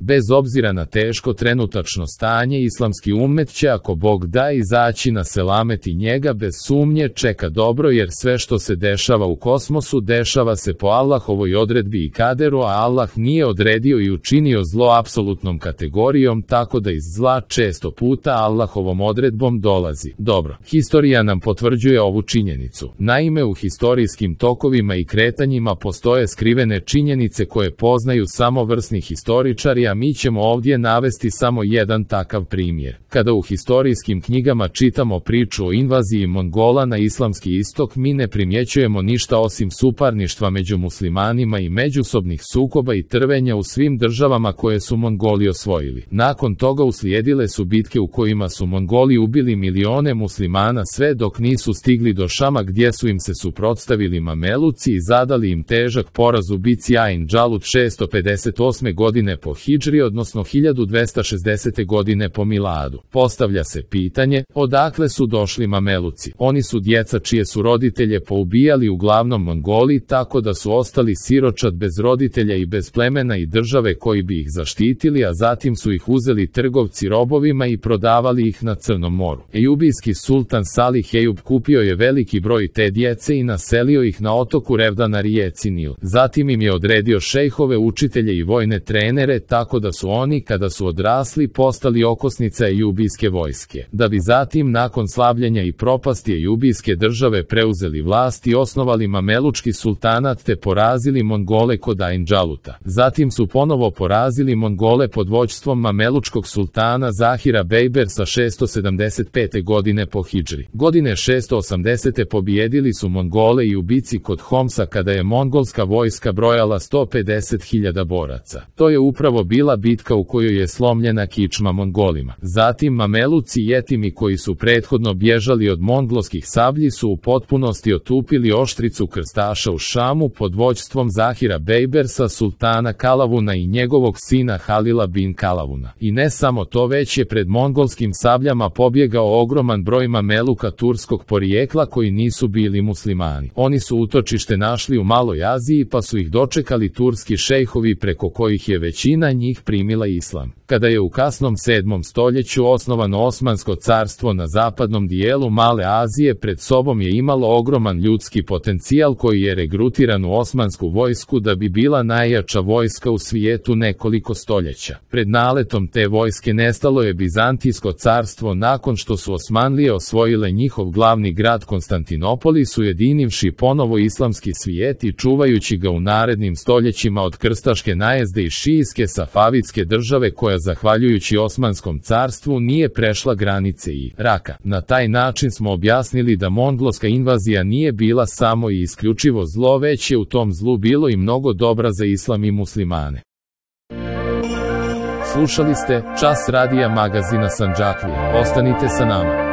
Bez obzira na teško trenutačno stanje, islamski ummet će, ako Bog da, izaći na selamet i njega bez sumnje čeka dobro, jer sve što se dešava u kosmosu dešava se po Allahovoj odredbi i kaderu, a Allah nije odredio i učinio zlo apsolutnom kategorijom, tako da iz zla često puta Allahovom odredbom dolazi dobro. Historija nam potvrđuje ovu činjenicu. Naime, u historijskim tokovima i kretanjima postoje skrivene činjenice koje poznaju samo vrsni historičari, a mi ćemo ovdje navesti samo jedan takav primjer. Kada u historijskim knjigama čitamo priču o invaziji Mongola na islamski istok, mi ne primjećujemo ništa osim suparništva među muslimanima i međusobnih sukoba i trvenja u svim državama koje su Mongoli osvojili. Nakon toga uslijedile su bitke u kojima su Mongoli ubili milione muslimana sve dok nisu stigli do Šama, gdje su im se suprotstavili Mameluci i zadali im težak poraz u bici Ain Džalut 658. godine po hidžri, odnosno 1260. godine po miladu. Postavlja se pitanje, odakle su došli Mameluci? Oni su djeca čije su roditelje poubijali uglavnom Mongoli, tako da su ostali siročad bez roditelja i bez plemena i države koji bi ih zaštitili, a zatim su ih uzeli trgovci robovima i prodavali ih na Crnom moru. Ejubijski sultan Salih Ejub kupio je veliki broj te djece i naselio ih na otoku Revda na rijeci Nil. Zatim im je odredio šejhove, učitelje i vojne trenere, tako da su oni, kada su odrasli, postali okosnica ejubijske vojske. Da bi zatim, nakon slabljenja i propasti ejubijske države, preuzeli vlast i osnovali Mamelučki sultanat te porazili Mongole kod Ain Džaluta. Zatim su ponovo porazili Mongole pod vođstvom Mamelučkog sultana Zahira Bejbersa 675. godine po hidžri. Godine 680. pobijedili su Mongole i u bici kod Homsa, kada je mongolska vojska brojala 150.000 boraca. To je upravo bila bitka u kojoj je slomljena kičma Mongolima. Zatim Mameluci i Jetimi, koji su prethodno bježali od mongolskih sablji, su u potpunosti otupili oštricu krstaša u Šamu pod vođstvom Zahira Bejbersa, sultana Kalavuna i njegovog sina Halila bin Kalavuna. I ne samo to, već je pred mongolskim sabljama pobjegao ogroman broj Mameluka turskog porijekla koji nisu bili muslimani. Oni su utočište našli u Maloj Aziji, pa su ih dočekali turski šejhovi, preko kojih je većina njih primila islam. Kada je u kasnom 7. stoljeću osnovano Osmansko carstvo na zapadnom dijelu Male Azije, pred sobom je imalo ogroman ljudski potencijal koji je regrutiran u osmansku vojsku da bi bila najjača vojska u svijetu nekoliko stoljeća. Pred naletom te vojske nestalo je Bizantijsko carstvo nakon što su Osmanlije osvojile njihov glavni grad Konstantinopolis, ujedinivši ponovo islamski svijet i čuvajući ga u narednim stoljećima od krstaške najezde i šijske safavitske države koja zahvaljujući Osmanskom carstvu nije prešla granice Iraka. Na taj način smo objasnili da mongolska invazija nije bila samo i isključivo zlo, već je u tom zlu bilo i mnogo dobra za islam i muslimane. Slušali ste Čas radija magazina Sandžaklija. Ostanite sa nama.